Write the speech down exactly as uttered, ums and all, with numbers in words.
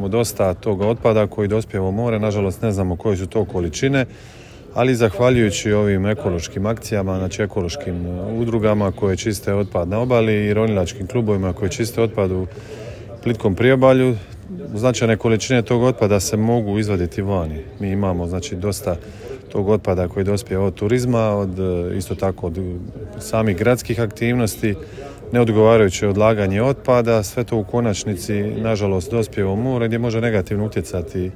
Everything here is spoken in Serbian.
Imamo dosta toga otpada koji dospijeva u more, nažalost ne znamo koje su to količine, ali zahvaljujući ovim ekološkim akcijama, znači ekološkim udrugama koje čiste otpad na obali i ronilačkim klubovima koje čiste otpad u plitkom priobalju, značajne količine tog otpada se mogu izvaditi vani. Mi imamo znači dosta tog otpada koji dospijeva od turizma, od, isto tako od samih gradskih aktivnosti, neodgovarajuće odlaganje otpada, sve to u konačnici nažalost dospijeva u more gdje može negativno utjecati